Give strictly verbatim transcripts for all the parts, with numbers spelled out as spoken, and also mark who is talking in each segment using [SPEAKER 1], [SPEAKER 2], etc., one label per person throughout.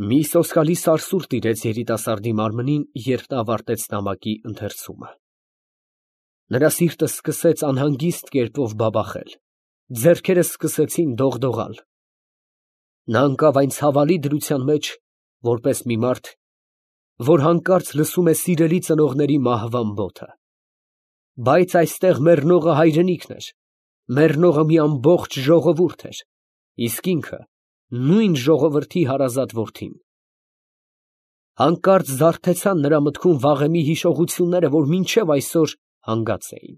[SPEAKER 1] Մի սոսկալի սարսուռ տիրեց երիտասարդի մարմնին, երբ նա ավարտեց նամակի ընթերցումը. նրա սիրտը սկսեց անհանգիստ կերպով բաբախել, ձեռքերը սկսեցին դողդողալ, նա ընկավ այն ցավալի դրության մեջ, որպես մի մարդ, որ հանկարծ լսում է սիրելի ծնողների մահվան բոթը, բայց այստեղ մեռնողը հայրենիքն էր, մեռնողը մի ամբողջ ժողովուրդ էր, իսկ ինքը նույն ժողովրդի հարազատ որդին։ Հանկարծ զարթեցան նրա մտքում վաղեմի հիշողությունները, որ մինչև այսօր հանգած էին։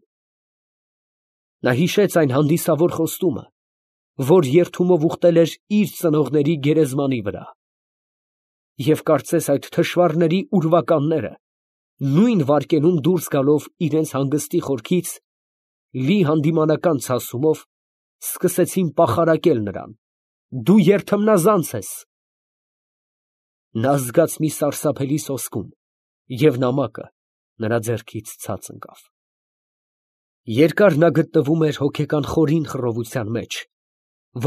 [SPEAKER 1] Նա հիշեց այն հանդիսավոր խոստումը, որ երդումով ուխտել էր իր ծնողների գերեզմանի վրա, և կարծես այդ թշվառների ուրվականները նույն վայրկենում դուրս գալով իրենց հանգստի խորքից, լի հանդիմանական ցասումով սկսեցին պախարակել նրան. «Դու երդմնազանց ես»։ Նա զգաց մի սարսափելի սոսկում, և նամակը նրա ձեռքից ցած ընկավ։ Երկար նա գտնվում էր հոգեկան խորին խռովության մեջ,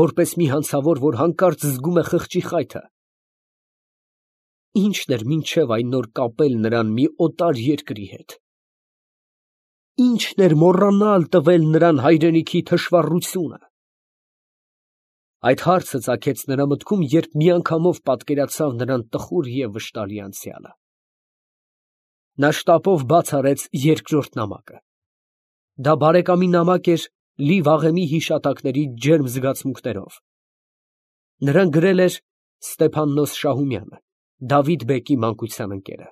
[SPEAKER 1] որպես մի հանցավոր, որ հանկարծ զգում է խղճի խայթը։ Ի՞նչն էր մինչև այն նոր կապել նրան մի օտար երկրի հետ։ Ի՞նչն էր մոռանալ տվել նրան հայրենիքի թշվառությունը։ Այդ հարցը ծագեց նրա մտքում, երբ միանգամով պատկերացավ նրան տխուր և վշտալի անցյալը։ Նա շտապով բաց արեց երկրորդ նամակը։ Դա բարեկամի նամակ էր, լի վաղեմի հիշատակների ջերմ զգացմունքներով։ Նրան գրել էր Ստեփաննոս Շահումյանը, Դավիթ֊բեկի մանկության ընկերը։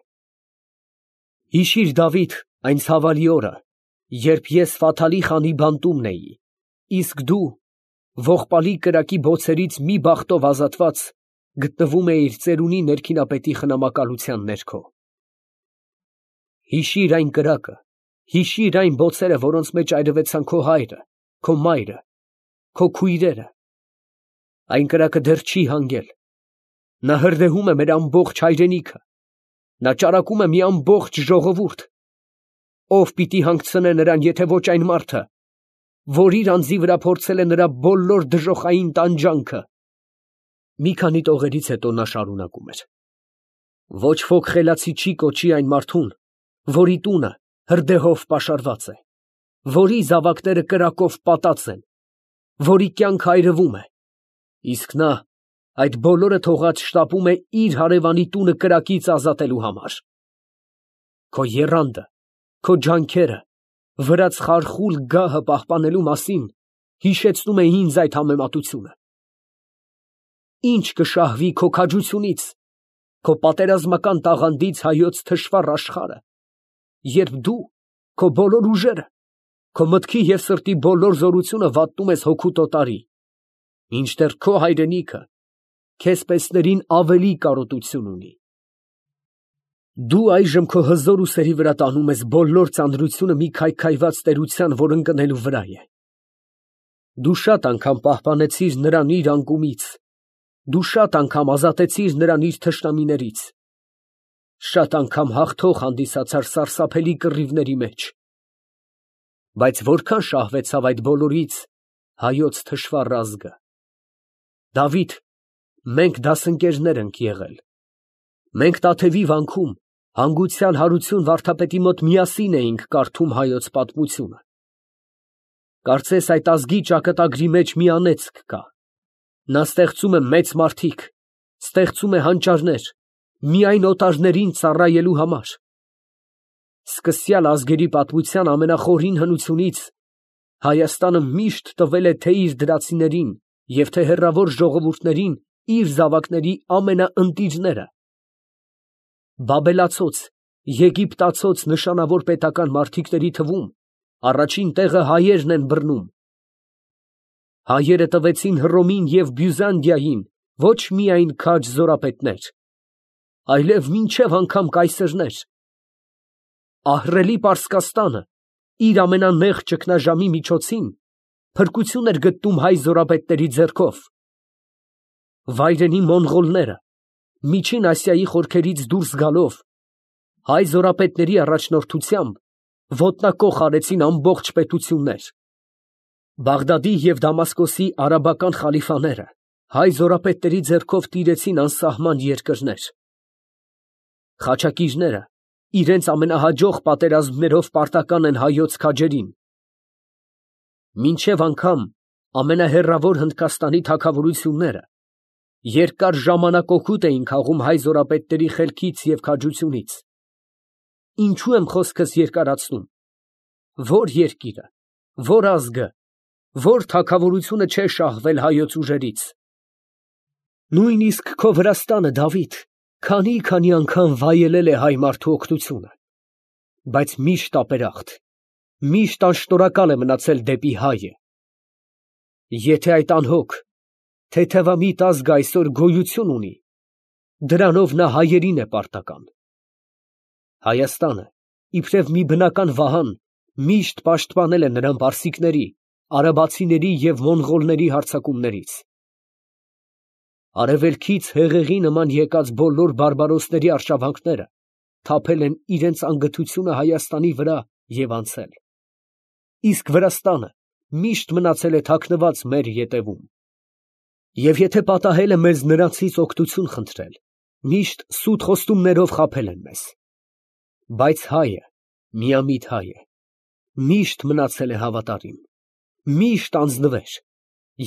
[SPEAKER 1] Հիշիր, Դավիթ, այն ցավալի օրը, երբ ես Ֆաթալի խանի բանտումն էի, իսկ դու, ողբալի կրակի բոցերից մի բախտով ազատված, գտնվում էիր ծերունի ներքինապետի խնամակալության ներքո։ Հիշիր այն կրակը, հիշիր այն բոցերը, որոնց մեջ այրվեցան քո հայրը, քո մայրը, քո քույրերը։ Այն կրակը դեռ չի հանգել, նա հրդեհում է մեր ամբողջ հայրենիքը, նա ճարակում է մի ամբողջ ժողովուրդ։ Ո՞վ պիտի հանգցնե նրան, եթե ոչ այն մարդը, որ իր անձի վրա փորձել է նրա բոլոր դժոխային տանջանքը։ Մի քանի տողերից հետո նա շարունակում էր. Ոչ ոք խելացի չի կոչի այն մարդուն, որի տունը հրդեհով պաշարված է, որի զավակները կրակով պատած են, որի կյանքը այրվում է, իսկ նա այդ բոլորը թողած շտապում է իր հարևանի տունը կրակից ազատելու համար։ Քո եռանդը, քո ջանքերը, վրաց խարխուլ գահը պահպանելու մասին հիշեցնում է ինձ այդ համեմատությունը։ Ինչ կշահվի քո քաջությունից, քո պատերազմական տաղանդից հայոց թշվառ աշխարհը, երբ դու քո բոլոր ուժերը, քո մտքի և սրտի բոլոր զորությունը վատնում ես հոգու տոտարի, մինչդեռ քո հայրենիքը քեզ պեսներին ավելի կարոտություն ունի։ Դու այժմ քո հզոր ուսերի վրա տանում ես բոլոր ծանրությունը մի քայքայված տերության, որ ընկնելու վրա է։ Դու շատ անգամ պահպանեցիր նրան իր անկումից, դու շատ անգամ ազատեցիր նրան իր թշնամիներից, շատ անգամ հաղթող հանդիսացար սարսափելի կռիվների մեջ, բայց որքան շահվեցավ այդ բոլորից հայոց թշվառ ազգը։ Դավիթ, մենք դասընկերներ ենք եղել, մենք Տաթևի վանքում հանգուցյալ Հարություն վարդապետի մոտ միասին էինք կարդում հայոց պատմությունը։ Կարծես այդ ազգի ճակատագրի մեջ մի անեծք կա, նա ստեղծում է մեծ մարդիկ, ստեղծում է հանճարներ, միայն օտարներին ծառայելու համար։ Սկսյալ ազգերի պատմության ամենախորին հնությունից Հայաստանը միշտ տվել է թե իր դրացիներին և թե հեռավոր ժողովուրդներին իր զավակների ամենաընտիրները։ Բաբելացոց, եգիպտացոց նշանավոր պետական մարդիկների թվում առաջին տեղը հայերն են բռնում։ Հայերը տվեցին Հռոմին և Բյուզանդիային ոչ միայն քաջ զորապետներ, այլև մինչև անգամ կայսերներ։ Ահռելի Պարսկաստանը իր ամենանեղ ճգնաժամի միջոցին փրկություն էր գտնում հայ զորապետների ձեռքով։ Վայրենի մոնղոլները Միջին Ասիայի խորքերից դուրս գալով, հայ զորապետների առաջնորդությամբ ոտնակոխ արեցին ամբողջ պետություններ։ Բաղդադի և Դամասկոսի արաբական խալիֆաները Հայ զորապետների ձեռքով տիրեցին անսահման երկրներ։ Խաչակիրները իրենց ամենահաջող պատերազմներով պարտական են հայոց քաջերին։ Մինչև անգամ ամենահեռավոր Հնդկաստանի թագավորությունները երկար ժամանակ օգուտ էին քաղում հայ զորապետների խելքից և քաջությունից։ Ինչու եմ խոսքս երկարացնում։ Ո՞ր երկիրը, ո՞ր ազգը, ո՞ր թագավորությունը չէ շահվել հայոց ուժերից։ Նույնիսկ քո Վրաստանը, Դավիթ, քանի՜֊քանի անգամ վայելել է հայ մարդու օգնությունը, բայց միշտ ապերախտ, միշտ անշնորհակալ է մնացել դեպի հայը։ Եթե այդ անհոգ, թեթևամիտ ազգը այսօր գոյություն ունի, դրանով նա հայերին է պարտական։ Հայաստանը, իբրև մի բնական վահան, միշտ պաշտպանել է նրան պարսիկների, արաբացիների և մոնղոլների հարձակումներից։ Արևելքից հեղեղի նման եկած բոլոր բարբարոսների արշավանքները թափել են իրենց անգթությունը Հայաստանի վրա և անցել։ Իսկ Վրաստանը միշտ մնացել է թաքնված մեր ետևում։ Եվ եթե պատահել է մեզ նրանցից օգնություն խնդրել, միշտ սուտ խոստումներով խաբել են մեզ։ Բայց հայը, միամիտ հայը, միշտ մնացել է հավատարիմ, միշտ անձնվեր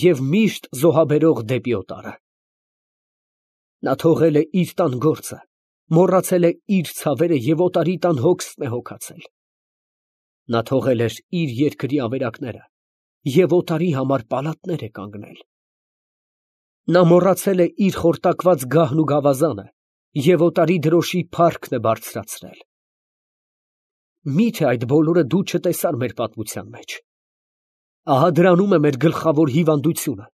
[SPEAKER 1] և միշտ զոհաբերող դեպի օտարը։ Նա թողել է իր տան գործը, մոռացել է իր ցավերը և օտարի տան հոգսն է հոգացել։ Նա թողել էր իր երկրի ավերակները և օտարի համար պալատներ է կանգնել։ Նա մոռացել է իր խորտակված գահն ու գավազանը և օտարի դրոշի փառքն է բարձրացրել։ Մի՞թե այդ բոլորը դու չտեսար մեր պատմության մեջ։ Ահա դրանում է մեր գլխավոր հիվանդությունը։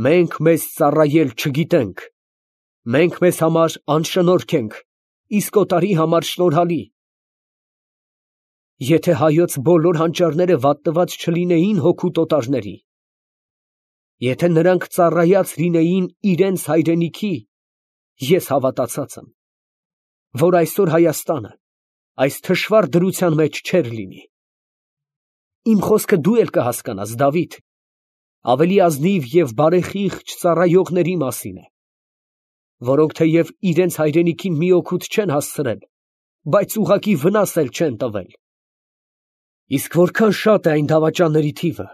[SPEAKER 1] Մենք մեզ ծառայել չգիտենք, մենք մեզ համար անշնորհք ենք, իսկ օտարի համար շնորհալի։ Եթե հայոց բոլոր հանճարները վատնված չլինեին հօգուտ օտարների, եթե նրանք ծառայած լինեին իրենց հայրենիքի, ես հավատացած եմ, որ այսօր Հայաստանը այս թշվառ դրության մեջ չէր լինի։ Իմ խոսքը դու էլ կհասկանաս, Դավիթ, ավելի ազնիվ և բարեխիղճ ծառայողների մասին է, որոնք թեև իրենց հայրենիքին մի օգուտ չեն հասցրել, բայց ուղղակի վնաս էլ չեն տվել։ Իսկ որքան շատ է այն դավաճանների թիվը,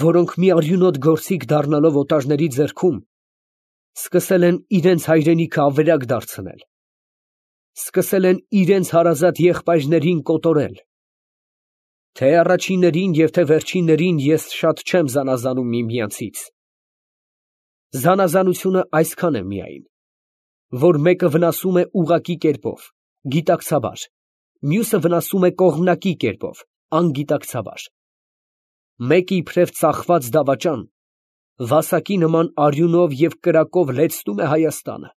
[SPEAKER 1] որոնք մի արյունոտ գործիք դառնալով օտարների ձեռքում, սկսել են իրենց հայրենիքը ավերակ դարձնել, սկսել են իրենց հարազատ եղբայրներին կոտորել։ Թե առաջիններին և թե վերջիններին ես շատ չեմ զանազանում միմյանցից։ Զանազանությունը այսքան է միայն, որ մեկը վնասում է ուղղակի կերպով, գիտակցաբար, մյուսը վնասում է կողմնակի կերպով, անգիտակցաբար։ Մեկը իբրև ծախված դավաճան, վասակի նման արյունով և կրակով լեցնում է Հայաստանը,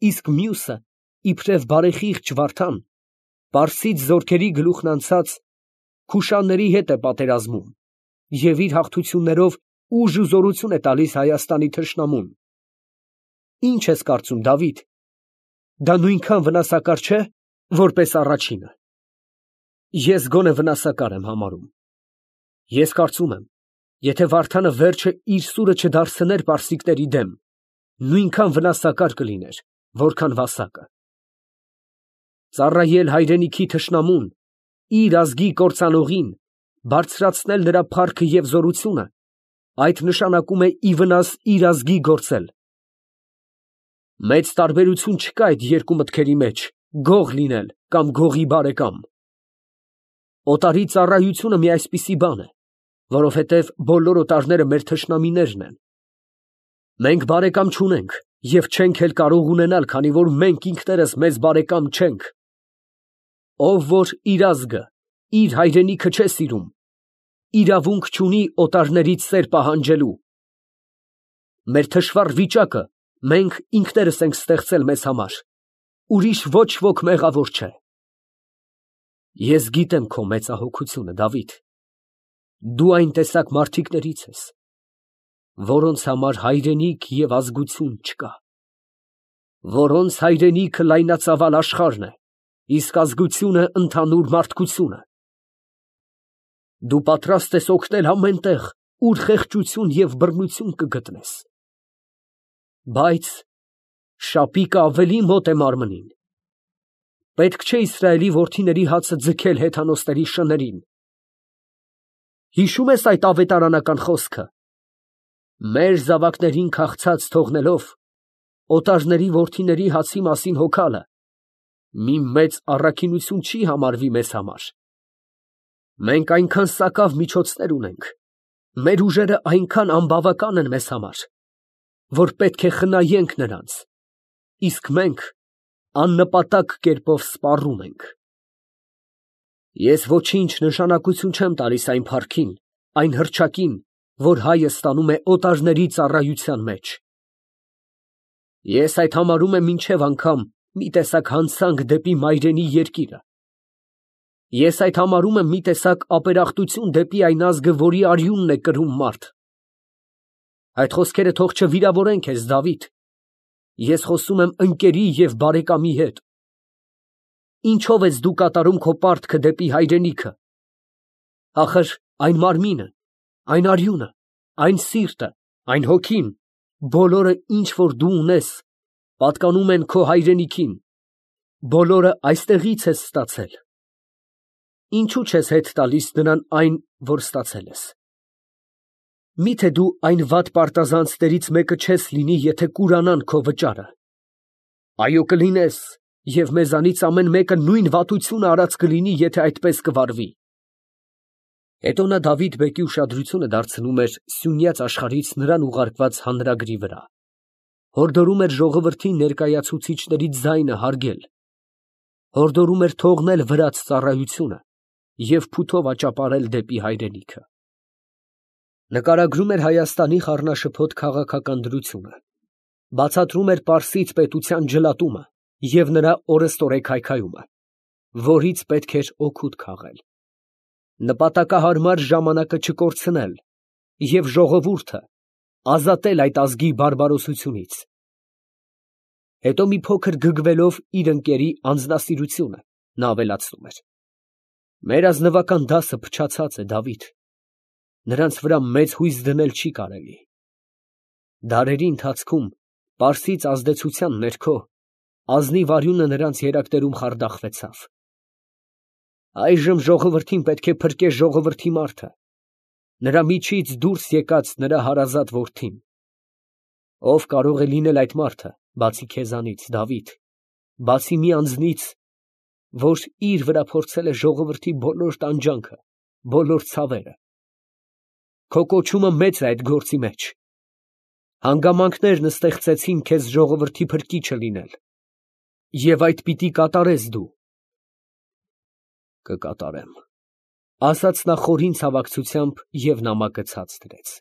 [SPEAKER 1] իսկ մյուսը, իբրև բարեխիղճ վարդան, պարսից զորքերի գլուխն անցած քուշանների հետ է պատերազմում և իր հաղթություններով ուժ ու զորություն է տալիս Հայաստանի թշնամուն։ Ի՞նչ ես կարծում, Դավիթ, դա նույնքան վնասակար չէ, որպես առաջինը։ Ես գոնե վնասակար եմ համարում։ Ես կարծում եմ, եթե Վարդանը վերջը իր սուրը չդարձներ պարսիկների դեմ, նույնքան վնասակար կլիներ, որքան վասակը։ Ծառայել հայրենիքի թշնամուն, իր ազգի կործանողին, բարձրացնել նրա փառքը և զորությունը, այդ նշանակում է ի վնաս իր ազգի գործել։ Մեծ տարբերություն չկա այդ երկու մտքերի մեջ, գող լինել կամ գողի բարեկամ։ Օտարի ծառայությունը մի այսպիսի բան է, որովհետև բոլոր օտարները մեր թշնամիներն են։ Մենք բարեկամ չունենք և չենք էլ կարող ունենալ, քանի որ մենք ինքներս մեզ բարեկամ չենք։ Ով որ իր ազգը, իր հայրենիքը չէ սիրում, իրավունք չունի օտարներից սեր պահանջելու։ Մեր թշվառ վիճակը մենք ինքներս ենք ստեղծել մեզ համար, ուրիշ ոչ ոք մեղավոր չէ։ Ես գիտեմ քո մեծահոգությունը, Դավիթ, դու այն տեսակ մարդիկներից ես, որոնց համար հայրենիք և ազգություն չկա, որոնց հայրենիքը լայնածավալ աշխարհն է, իսկ ազգությունը ընդհանուր մարդկությունը։ Դու պատրաստ ես օգնել ամեն տեղ, ուր խեղճություն և բռնություն կգտնես։ Բայց շապիկը ավելի մոտ է մարմնին։ Պետք չէ Իսրայելի որդիների հացը ձգել հեթանոսների շներին։ Հիշո՞ւմ ես այդ ավետարանական խոսքը. մեր զավակներին քաղցած թողնելով, օտարների որդիների հացի մասին հոգալը մի մեծ առաքինություն չի համարվի մեզ համար։ Մենք այնքան սակավ միջոցներ ունենք, մեր ուժերը այնքան անբավական են մեզ համար, որ պետք է խնայենք նրանց, իսկ մենք աննպատակ կերպով սպառում ենք։ Ես ոչինչ նշանակություն չեմ տալիս այն փառքին, այն հռչակին, որ հայը ստանում է օտարների ծառայության մեջ։ Ես այդ համարում եմ մինչև անգամ մի տեսակ հանցանք դեպի մայրենի երկիրը։ Ես այդ համարում եմ մի տեսակ ապերախտություն դեպի այն ազգը, որի արյունն է կրում մարդ։ Այդ խոսքերը թող չվիրավորեն քեզ, Դավիթ։ Ես խոսում եմ ընկերի և բարեկամի հետ։ Ինչո՞վ ես դու կատարում քո պարտքը դեպի հայրենիքը։ Ախր այն մարմինը, այն արյունը, այն սիրտը, այն հոգին, բոլորը, ինչ որ դու ունես, պատկանում են քո հայրենիքին, բոլորը այստեղից ես ստացել։ Ինչո՞ւ չես հետ տալիս նրան այն, որ ստացել ես։ Մի՞թե դու այն վատ պարտազանցներից մեկը չես լինի, եթե կուրանան քո վճարը։ Այո, կլինես, և մեզանից ամեն մեկը նույն վատությունը արած կլինի, եթե այդպես կվարվի։ Հետո նա Դավիթ բեկի ուշադրությունը դարձնում էր սյունյաց աշխարհից նրան ուղարկված հանրագրի վրա, հորդորում էր ժողովրդին ներկայացուցիչների ձայնը հարգել, հորդորում էր թողնել վրաց ծառայությունը և փութով աճապարել դեպի հայրենիքը։ Նկարագրում էր Հայաստանի խառնաշփոթ քաղաքական դրությունը, բացատրում էր Պարսից պետության ջլատումը և նրա օրըստօրեկ քայքայումը, որից պետք էր օգուտ քաղել, նպատակահարմար ժամանակը չկորցնել և ժողովուրդը ազատել այդ ազգի բարբարոսությունից։ Հետո մի փոքր գգվելով իր ընկերի անձնասիրությունը, նա ավելացնում էր. մեր ազնվական դասը փչացած է, Դավիթ, նրանց վրա մեծ հույս դնել չի կարելի։ Դարերի ընթացքում պարսից ազդեցության ներքո ազնիվ արյունը նրանց երակներում խարդախվեցավ։ Այժմ ժողովրդին պետք է փրկե ժողովրդի մարդը, նրա միջից դուրս եկած նրա հարազատ որդին։ Ով կարող է լինել այդ մարդը, բացի քեզանից, Դավիթ, բացի մի անձնից, որ իր վրա փորձել է ժողովրդի բոլոր տանջանքը, բոլոր ցավերը։ Քո կոչումը մեծ է այդ գործի մեջ։ Հանգամանքներն ստեղծեցին քեզ ժողովրդի փրկիչը լինել, և այդ պիտի կատարես դու։ Կկատարեմ, ասաց նա խորին ցավակցությամբ և նամակը ցած դրեց։